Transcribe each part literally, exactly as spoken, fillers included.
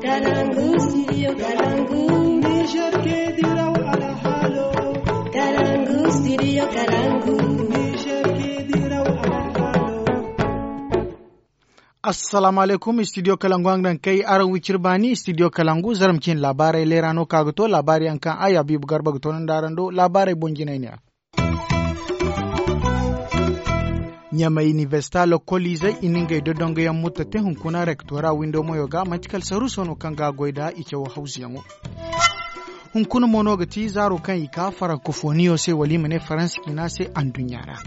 Kalangu, studio Kalangu. Niger ke diraw alhalo. Kalangu, studio Kalangu. Niger ke diraw alhalo. Assalamu alaikum, studio Kalangu, araŋ daŋ kay araŋ wicir baani, studio Kalangu, zarma cin laabaarey leera no ka ga to, laabaari yaŋ kaŋ ay Habibu Garba ga to no nda araŋ do, laabaarey boŋ jinay ne ya. Ɲamay inibersita lokoliizey i na ngey dodongoyaŋ mutta te hunkuna rektora windo moyo ga manti kala saruuso no kaŋ ga a goy nda i cawo hawzuyaŋo. Hunkuna mo no ga ti zaaro kaŋ i ka farankofoniyo se wala i ma ne faransa ciina se anduɲɲa ra.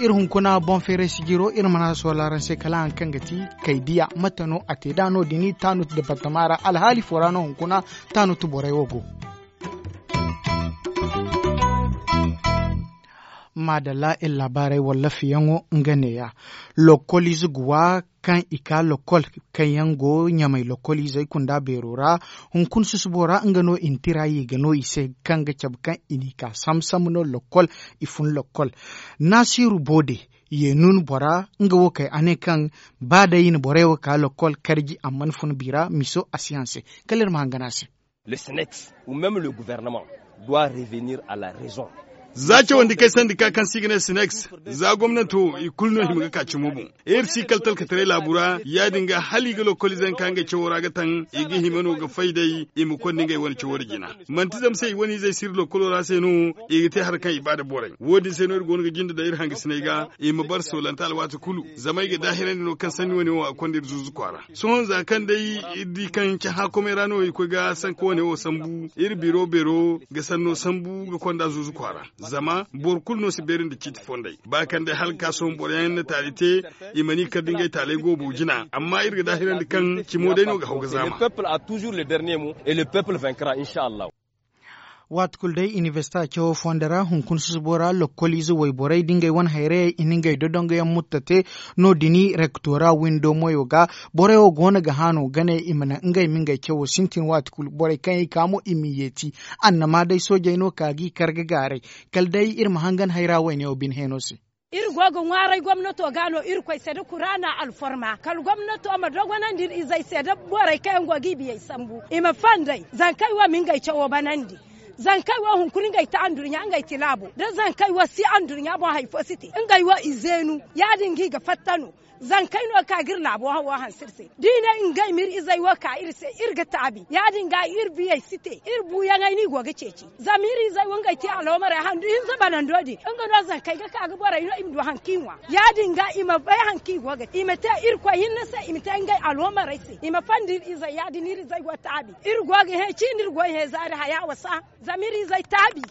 Iri hunkuna boŋ feeray sijiro iri mana sola araŋ se kala haŋ kaŋ ga ti kaydiya mate no a te da no- din taanut departama ra alhaali fo ra no hunkuna taanut borey wo go. Maadalla iri laabaarey wallafiyaŋo nga neeya. Lokkoliize ga wa kaŋ i ka lokkol kaŋ yaŋ go ɲamay lokkoliizey kunda beero ra. Hunkuna susubo ra nga no i na tira ye ga no i se kaŋ ga cabe kaŋ i n'i ka sambu sambu no lokkol i fun lokkol. Naasiiru boode ye nuun bora nga wo kay a ne kaŋ ba day i na borey wo ka lokkol karji amma ni fun bi ra miso a si haŋ se. Kala iri ma hangan a se. Le sinex ou même le gouvernement doit revenir à la raison. Za cawandi kay sandi ka kaŋ se i ga ne sinex, za gomnanto i kulu no hima ga ka cimo boŋ. Iri si kala talkataray laabu ra ya- din ga hala i ga lokoliize yaŋ ka ngey cawo ra ga taŋ i ga hima no ga fay day i ma konda ngey wane cawo ra jina. Manti zama se i wane izey si iri lokolo ra se no i ga te hari kaŋ i ba nda borey wo- din se no iri go no ga jinde daŋ iri hangasiney ga i ma bara soolante alwaati kulu. Zama ay ga daahirandi no kaŋ sanni wane wo a konda iri zuuzu kwaara. Sohõ za kaŋ day iri di kaŋ cahã komey ra no i koy ga sanka wane wo sambu iri biro beero ga sanno sambu ga konda zuuzu kwaara. Zama boro kulu no si beeri nda ciiti fondey ba kaŋ day hala ga ka sohõ boro yaŋ na taali te i mana i kar da ngey taaley goobo jina amma iri ga daahirandi kaŋ cimo day no ga haw ga zaama. Waati kulu day inibersita cawo fonda ra hunkuna susubo ra lokkoliize wayborey da ngey wane hayrayey i na ngey dodongoyaŋ mutta te. No- din rektora windo moyo ga borey wo go no ga haano gane i ma naŋ ngey ma ngey cawo sintin waati kulu borey kaŋ i ka mo i m'i yeeti. Annama day soojey no ka g'i kar ga gaaray kala day iri ma hangan hayra wayne wo bine heeno se. Iri go ga ŋwaaray gomnato ga no irkoy se da kuraana alforma kala gomnato ma dogonandi iri izey se da borey kaŋ yaŋ go ga i biyey sambu i ma fandey zankey wo ma ngey cawo banandi. Zankey wo hunkuna ngey ti andurɲa ngey ti laabo da zankey wo si andurɲa boŋ hari fo si te ngey wo i zeenu ya- din ga i ga fatta no. Zankey no ka ga iri laabo hawo hanse iri se da i ne ngey ma iri izey wo ka iri se iri ga taabi ya- din ga iri biyey si te iri buuyaŋey no i go ga ceeci. Zama iri izey wo ngey te aloomarey handu hinza banando din nga no zankey ga ka ga borey no i ma du hari kaŋ i ŋwa ya- din ga i ma bay hari kaŋ i go ga te i ma te irkoy hinne se i ma te ngey aloomarey se i ma fandi iri izey ya- din iri izey go taabi iri go ga hẽ ciine iri go ga hẽ zaari haya wasa. Zama iri izey taabi.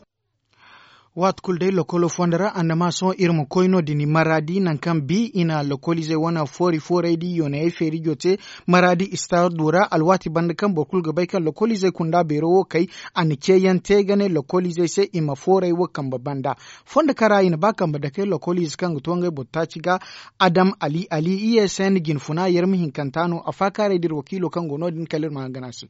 Waati kulu day lokolo fonda ra annama sohõ iri ma koy no- din maradi nangu kaŋ bi i na lokoliizey wane foori foorey da i yoonayey feerijo te. Maradi istaado ra alwaati banda kaŋ boro kulu ga bay kaŋ lokoliizey kunda beero wo kay a na ceeyaŋ te ga ne lokoliizey se i ma foorey wo kambe banda. Fondo kaŋ ra i na ba kambe dake lokoliize kaŋ ga to ngey boro taaci ga adam ali ali i s n jinfuna yarma hinkanta no a faakaaray da iri wakiilo kaŋ go no- din kala iri ma hangan a se.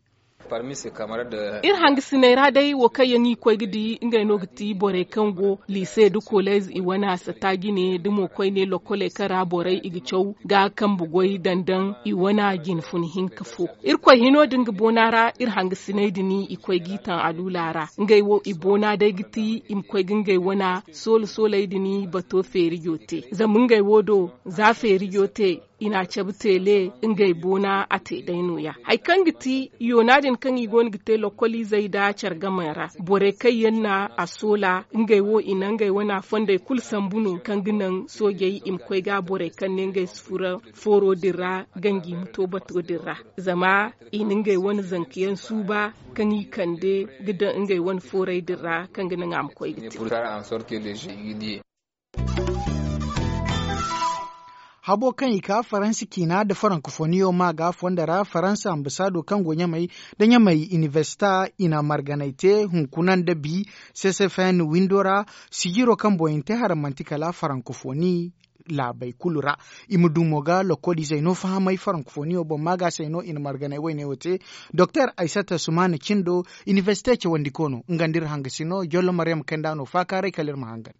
Iri hangasiney ra day wo kaŋ yaŋ i koy ga di ngey no ga ti borey kaŋ go liise nda kolez i wane a sata jine da mo koyne lokoley kaŋ ra borey i ga caw ga kambe goy daŋ daŋ i wane a jinfun hinka fo. Irkoy hino din ga boona ra iri hangasiney din i koy g'i taŋ aluula ra ngey wo i boona day ga ti i ma koy ga ngey wane soola sooley din bato feerijo te zama ngey wo do za feerijo te i n'a cabe teele ngey boona a te day nooya hari kaŋ ga ti yoona din kaŋ i go no ga te lokoliizey nda care game ra borey kaŋ yaŋ na a soola ngey wo i na ngey wane fondey kulu sambu no kaŋ ga naŋ soojey i ma koy ga borey kaŋ ne ngey si furo fooro din ra ganji ma to bato din ra zama i na ngey wane zankayaŋ suuba kaŋ i kande ga daŋ ngey wane foorey din ra kaŋ ga naŋ a ma koy ga te. Habo kaŋ i ka faransa ciina nda farankofoniyo ma ga fondo ra faransa ambasaado kaŋ go ɲamay nda ɲamay inibersita i na marganay te hunkuna nda bi ccfn windo ra. Sijiro kaŋ boŋ i na te haraŋ manti kala farankofoni laabey kulu ra. I ma du mo ga lokoliizey no fahamay farankofoniyo boŋ ma ga se no i na marganay wayne wo te. Doktor aysata sumaana cindo inibersite cawandiko no nga nda iri hangasino jollo maryam kaynd'a no faakaaray kala iri ma hangan.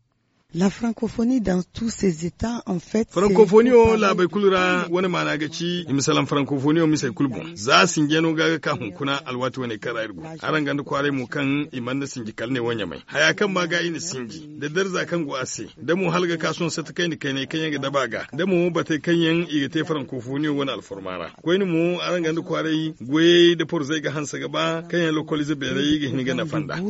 La francophonie dans tous ces états en fait. Francophonie wo laabey kulu ra wane maana ga ci i ma salaŋ francophonie wo misey kulu boŋ za sinjano ga ga ka hunkuna alwaati wane kaŋ ra iri go. Araŋ ganda kwaaray mo kaŋ i mana sinji kala ne wo ɲamay haya kaŋ ma ga i na sinji da darza kaŋ go a se da mo hala ga ka sohõ sata kayna kaynay kaŋ yaŋ ga daba a ga da mo batey kaŋ yaŋ i ga te francophonie wane alfarma ra. Koyne mo araŋ ganda kwaaray goyey da porzey ga hanse ga ba kaŋ yaŋ lokolize beerey ga hin ga nafa nda.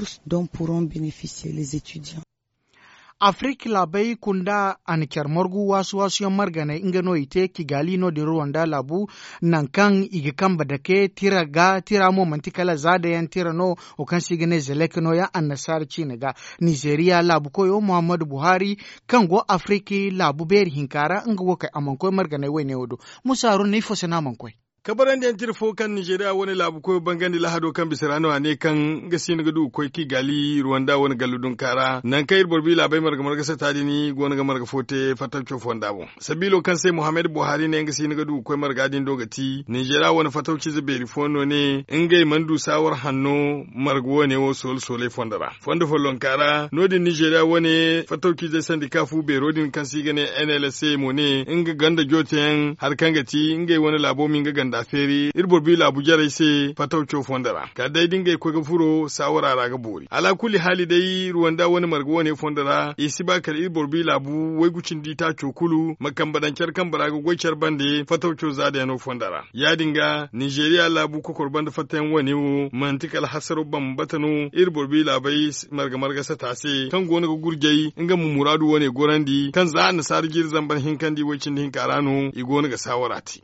Afirka laabey kunda a na care margu waasu-waasu yaŋ marganay nga no i te kigali no- din ruwanda laabu, nangu kaŋ i ga kambe dake tira ga tira mo manti kala za dayaŋ tira no. Wo kaŋ se i ga ne zelek no- yaŋ annasaara ciine ga. Nizeriya laabu koyo muhammadu buhari, kaŋ go afirka laabu beeri hinka ra nga wo kay a mana koy marganay wayne wo do. Musa haruna ifo se no a mana koy? Kabarandiyaŋ tira fo kaŋ nizeriya wane laabu koyo bangandi lahado kaŋ bisa ra no a ne kaŋ nga siino ga du ga koy kigali ruwanda wane gallu dunka ra nangu kaŋ iri boro bi laabey marga marga sata din go no ga marga fo te fattaco fonda boŋ. Sabiilo kaŋ se muhammad buhari ne nga siino ga du ga koy marga din do ga ti nizeriya wane fattawciize beeri fo no ne ngey mana du saawar hanno marga wane wo soole sooley fonda ra fondo follonka ra no- din nizeriya wane fattawciizey sandika fu beero din kaŋ se i ga ne nlsa mo ne nga ganda jooteyaŋ hari kaŋ ga ti ngey wane laabo ma nga ganda feeri iri boro bi laabu jarey se fattawco fondo ra kala day da ngey koy ga furo saawara ra ga boori alaakulli haali day ruwanda wane marga wane fondo ra i si ba kala iri boro bi laabu waygu cindi taaco kulu ma kambe daŋ care kambe ra ga goy care bande fattawco za dayano fondo ra ya- din ga nizeriya laabu kokoro banda fattayaŋ wane wo manti kala hasaro bambata no iri boro bi laabey marga marga sata se kaŋ go no ga gurjay nga ma muraadu wane gorandi kaŋ za annasaara jiiri zambar hinkandi way cindi hinka ra no i go no ga saawara te.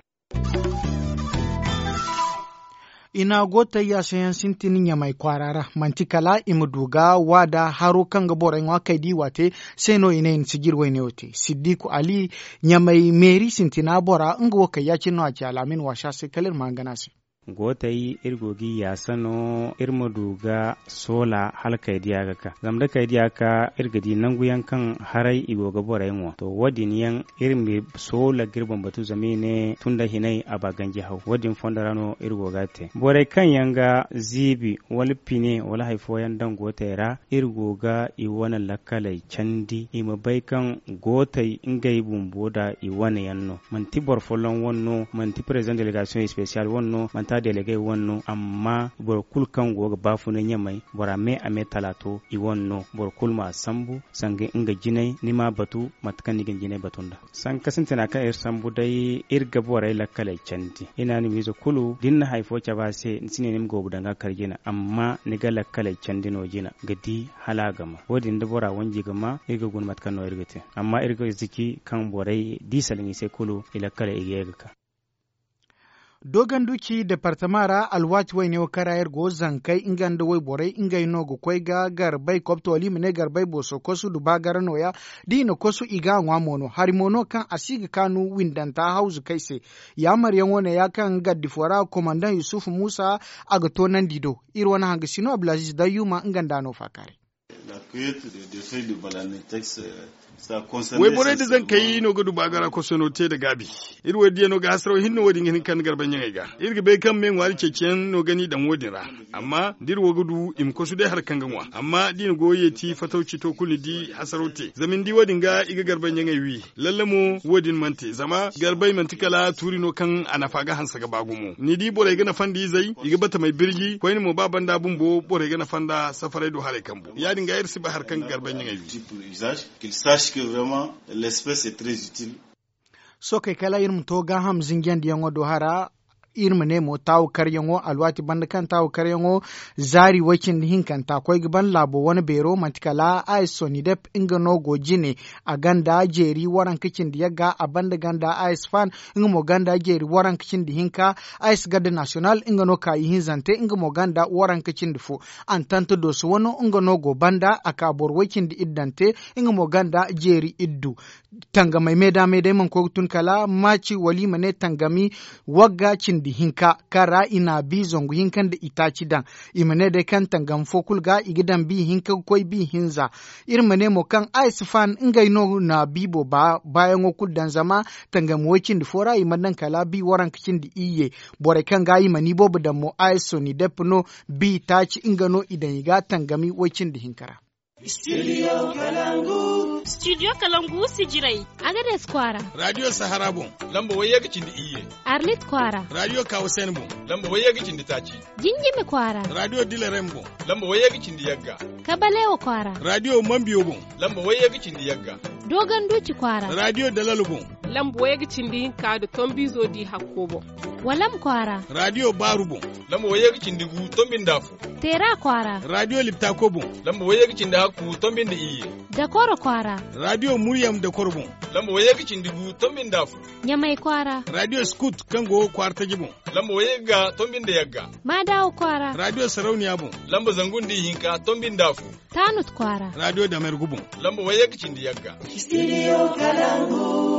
I na go tayya sayaŋ sintin ɲamay kwaara ra manti kala i ma du ga waada haro kaŋ ga borey ŋwa kay da i waate se no i ne i na sijir wayne wo te siddiku ali ɲamay meeri sintina bora nga wo kay ya- cine no a ci alaamin waasa se kala iri ma hangan a se. Gootey iri go ga i yaasa no iri ma du ga soola hala kay diya ga ka zama da kay diya ga ka iri ga di nangu yaŋ kaŋ haray i go ga borey ŋwa to wo- din yaŋ iri ma soola ga iri boŋ batu zama i ne tun da hinay a ba ganji haw wo- din fondo ra no iri go ga a te borey kaŋ yaŋ ga ziibi wala pine wala hari fooyaŋ daŋ gootey ra iri go ga i wane lakkaley candi i ma bay kaŋ gootey ngey bumbo da i wane yaŋ no manti boro folloŋ wane no manti président délégation spécial wane no manti a délégué wane no amma boro kulu kaŋ go ga baafunay ɲamay bora me a me talaato i wane no boro kulu ma a sambu sanga nga jinay ni ma a batu mate kaŋ ni ga ni jinay batu nda sanka sintina kaŋ iri sambu day iri ga borey lakkaley candi i na ni wiize kulu da ni na hari fo cabe a se ni si ne ni ma goobu daŋ ga kar jina amma ni ga lakkaley candi no jina ga di hala a ga ma wo- din da bora wanji ga ma iri ga guna mate kaŋ no iri ga te amma iri ga ziki kaŋ borey da i salaŋ i se kulu i lakkaley i ga ye ga ka. Dogonduci departama ra alwaati wayne wo kaŋ ra iri go zankey nga nda wayborey ngey no ga koy ga garbey kobto wala i ma ne garbey booso kosu nda baagara nooya da i na kosu i ga a ŋwa mo no hari mo no kaŋ a si ga kaanu windanta hawzukey se. Yaamaryaŋo neeya kaŋ gardi fo ra komandaŋ yusufu muusa a ga toonandi do iri wane hangasino abdulaziz dayyuma nga nda a no faakaaray. Wayborey nda zankey no ga du baagara kosono te nda gaabi. Iri wo diya no ga hasaraw hinne wo- din ga hin ga kande garbaɲaŋey ga iri ga bay kaŋ me ŋwaari ceeciyaŋ no ga ni daŋ wo- din ra. Amma da iri wo ga du i ma kosu day hari kaŋ ga ŋwa amma da i na goyo yeeti fatawci to kulu ni di hasaraw te zama ni di wo- din ga i ga garbaɲaŋey wi. Lalle mo wo- din mana te zama garbey manti kala tuuri no kaŋ a nafa ga hanse ga ba gumo ni di borey ga nafa nda izey i ga batamey birji koyne mo ba banda bumbo borey ga nafa nda safaray do haray kambu ya- din ga iri si bay hari kaŋ ga garbaɲaŋey wi. Sookey kala iri ma to gaaham zinjandiyaŋo do hara. Iri ma ne mo taawu karyaŋo alwaati banda kaŋ taawu karyaŋo zaari way-cindi hinkanta koy ga ban laabo wane beero manti kala a s sonidep nga no go jine. A ganda jeeri waranka cindi yagga a banda ganda a s fan nga mo ganda jeeri waranka cindi hinka. A s garde nasiyonal nga no ka ihinzante nga mo ganda waranka cindi fo. Antanta dooso wano nga no go banda a ka boro way-cindi iddante nga mo ganda jeeri iddu. Tangamey meeda meeda ay mana koy ga tun kala maaci wala i ma ne tangami wagga cindi hinka kaŋ ra i na a bi zangu hinka nda itaaci daŋ. I ma ne day kaŋ tangami fo kulu ga i ga daŋ bi hinka ga koy bi hinza. Iri ma ne mo kaŋ a si faan ngey no na biibo baayaŋo kulu daŋ zama tangami way-cindi fo ra i mana daŋ kala bi waranka cindi iyye. Borey kaŋ ga i mana iboobo daŋ mo a s sonidep no bi itaaci nga no i daŋ i ga tangami way-cindi hinka ra. Studio Kalangu. Studio kalangu sijirey. Agades kwaara. Radio sahara boŋ. Lamba wayye ga cindi iyye. Arlit kwaara. Radio kawasen boŋ. Lamba wayye ga cindi taaci. Jinjimi kwaara. Radio dilarem boŋ. Lamba wayye ga cindi yagga. Kabalewa kwaara. Radio mambiyo boŋ. Lamba wayye ga cindi yagga. Dogon duci kwaara. Radio dalalo boŋ. Lamba wayye ga cindi hinka da tombizo di hakko boŋ. Walam kwaara. Radio baaru boŋ. Lamba wayye ga cindi gu tombinda fo. Teera kwaara. Radio liptako boŋ. Lamba wayye ga cindi hakku tombinda iyye. Dakoro kwaara. Radio muryam dakoro boŋ. Lamba wayye ga cindi gu tombinda fo. Ɲamay kwaara. Radio skut kaŋ go kwaara taji boŋ. Lamba wayye ga tombi nda yagga. Maadawa kwaara. Radio sarauniya boŋ. Lamba zangu nda ihinka tombi nda fu. Taanut kwaara. Radio damergu boŋ. Lamba wayye ga cindi yagga. Studio kalangu.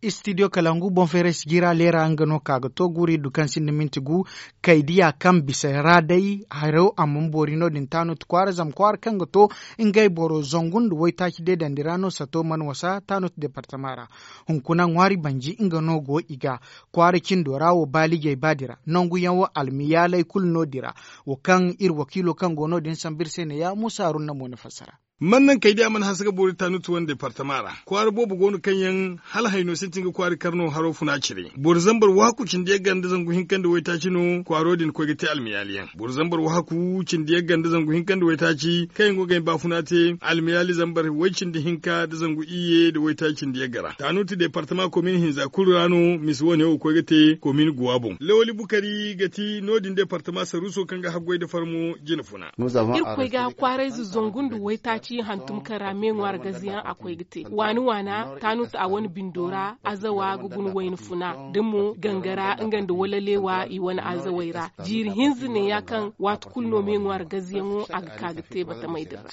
Studio kalangu boŋ feeray sijira leera nga no ka ga to guuri du kaŋ sinda minti gu. Kaydiya kaŋ bisa ra day haro a mana boori no- din taanut kwaara zama kwaara kaŋ ga to ngey boro zangu nda waytaaci deedandi ra no sato mana wasa taanut departama ra. Hunkuna ŋwaari banji nga no go i ga kwaara cindo ra wo baalijey baadi ra nanguyaŋ wo almiyaaley kulu no- din ra. Wo kaŋ iri wakiilo kaŋ go no- din sambu iri se ne ya muusa haruna mo na fassara. Man naŋ kaydiya mana hanse ga boori taanut wane departama ra kwaara boobo go no kaŋ yaŋ hala hayno sintin ga kwaari karno haro funa cire boro zambar waaku cindi yagga nda zangu hinka nda waytaaci no kwaaro din koy ga te almiyaali yaŋ boro zambar waaku cindi yagga nda zangu hinka nda waytaaci kaŋ yaŋ go ga ay baafuna te almiyaali zambar way cindi hinka nda zangu iyye nda waytaaci cindi yagga ra taanut departama komin hinza kulu ra no misi wane wo koy ga te komin guwa boŋ lawali bukari ga ti no- din departama saruuso kaŋ ga haggoy nda farmo jina funa. Irkoy ga kwaarayze zangu nda waytaaci hantum kaŋ ra me ŋwaari gaze yaŋ a koy ga te waani waana taanut a wane bindo ra azawa ga guna wayna funa da mo gangara nga nda walaleewa i wane azawey ra. Jiiri hinza ne ya kaŋ waati kulu no me ŋwaari gaze yaŋo a ga ka ga te batamey din ra.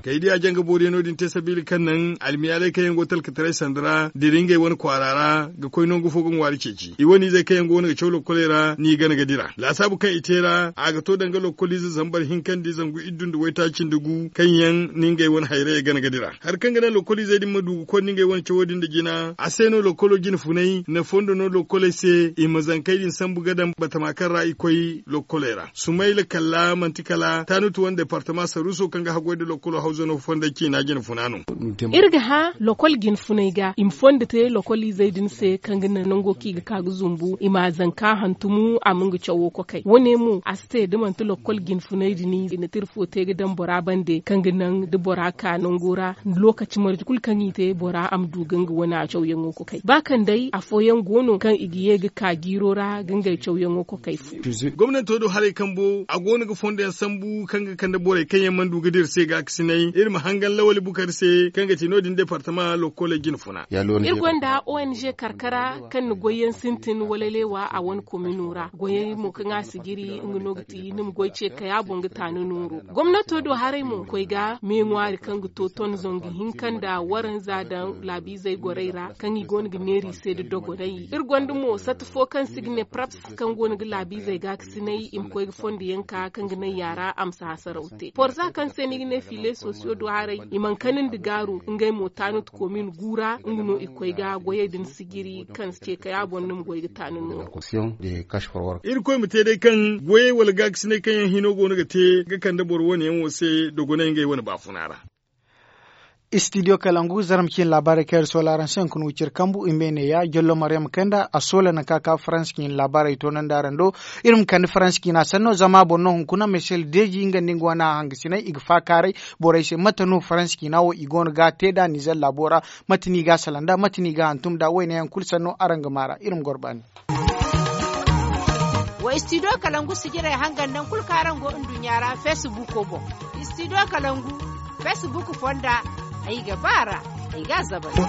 Kaydiya janga booriyaŋo din te sabiila kaŋ naŋ almiyaaley kaŋ yaŋ go talkataray sanda ra dira ngey wane kwaara ra ga koy nangu fo ga ŋwaari ceeci i wane izey kaŋ yaŋ go no ga caw lokkoley ra n'i gana ga dira laasaabu kaŋ i te ra a ga to danga lokkol ize zambar hinka nda zangu iddu nda waytaaci nda gu kaŋ yaŋ na ngey wane hayrayey gana ga dira. Hari kaŋ ga naŋ lokkol izey din ma du ga konda ngey wane cawo din nda jina a se no lokkolo jina funay na fondo no lokkoley se i ma zankey din sambu ga daŋ batama kaŋ ra i koy lokkoley ra sumayla kalla manti kala taanut wane departama saruuso kaŋ ga haggoy nda lokkolo hawzano fonday ciina jina funa no. Iri ga hã lokol jinfunay ga i ma fondo te lokol izey din se kaŋ ga naŋ nango kaŋ i ga ka ga zumbu i ma a zanka hantumu a ma nga cawo kokay wo- ne mo a si te da manti lokol jinfunay din i na tira fo te ga daŋ bora bande kaŋ ga naŋ da bora ka nango ra. Lokaci marje kulu kaŋ i te bora a ma du ga nga wane a cawyaŋo kokay ba kaŋ day afooyaŋ go no kaŋ i ga ye ga ka jiiro ra ga ngey cawyaŋo kokay fu. Gomnanto do haray kambo a go no ga fondo yaŋ sambu kaŋ ga kande borey kaŋ yaŋ mana du ga dira se ga ga sinay iri ma hangan lawali bukari se kaŋ ga ti no- din departama lokkoley jina funa. Iri gonda ong karkara kaŋ na goyyaŋ sintin wala leewa a wane komino ra goyey mo kaŋ a si jiri nga no ga ti ni ma goy ce kaya boŋ ga ta ni nooru. Gomnato do haray mo koy ga me ŋwaari kaŋ ga to ton zangu hinka nda waranza daŋ laabiizey gorey ra kaŋ i go no ga neera i se nda dogonay iri gonda mo sata fo kaŋ se i ga ne praps kaŋ go no ga laabiizey ga ga sinay i ma koy ga fondo yaŋ ka kaŋ ga naŋ yaara a ma si hasaraw te porza kaŋ se no i ga ne fiile sosiyo do haray i mana kani nda gaaru ngey mo taanut komin gu ra nga no i koy ga goyey din sijiri kaŋ si ce kay a boŋ ni ma goy ga taani nooru. Iri koy ma te day kaŋ goyey wala gaakasinay kaŋ yaŋ hino go no ga te ga kande boro wane yaŋ wo se dogonay ngey wane baafuna ra. Studio kalangu zarma cine laabaarey kaŋ iri soola araŋ se hunkuna wiciri kambu i ma ne ya jollo maryam kanda a soola nangu kaŋ a ka faransa cine laabaarey toonandi araŋ do. Iri ma kande faransa cina sanno zama boro no hunkuna michel deji nga nda nga wane a hangasiney i ga faakaaray borey se mate no faransa cina wo i go no ga te nd'a nizer laabo ra? Mate no i ga a salaŋ nd'a mate no i ga a hantum nd'a wayne yaŋ kulu sanno araŋ ga maa ra iri ma goro baani. Wa studio kalangu sijirey hangan nangu kulu kaŋ araŋ go nduɲɲa ra facebook boŋ. Studio kalangu facebook fonda ay ga ba a ra ay ga a zabari.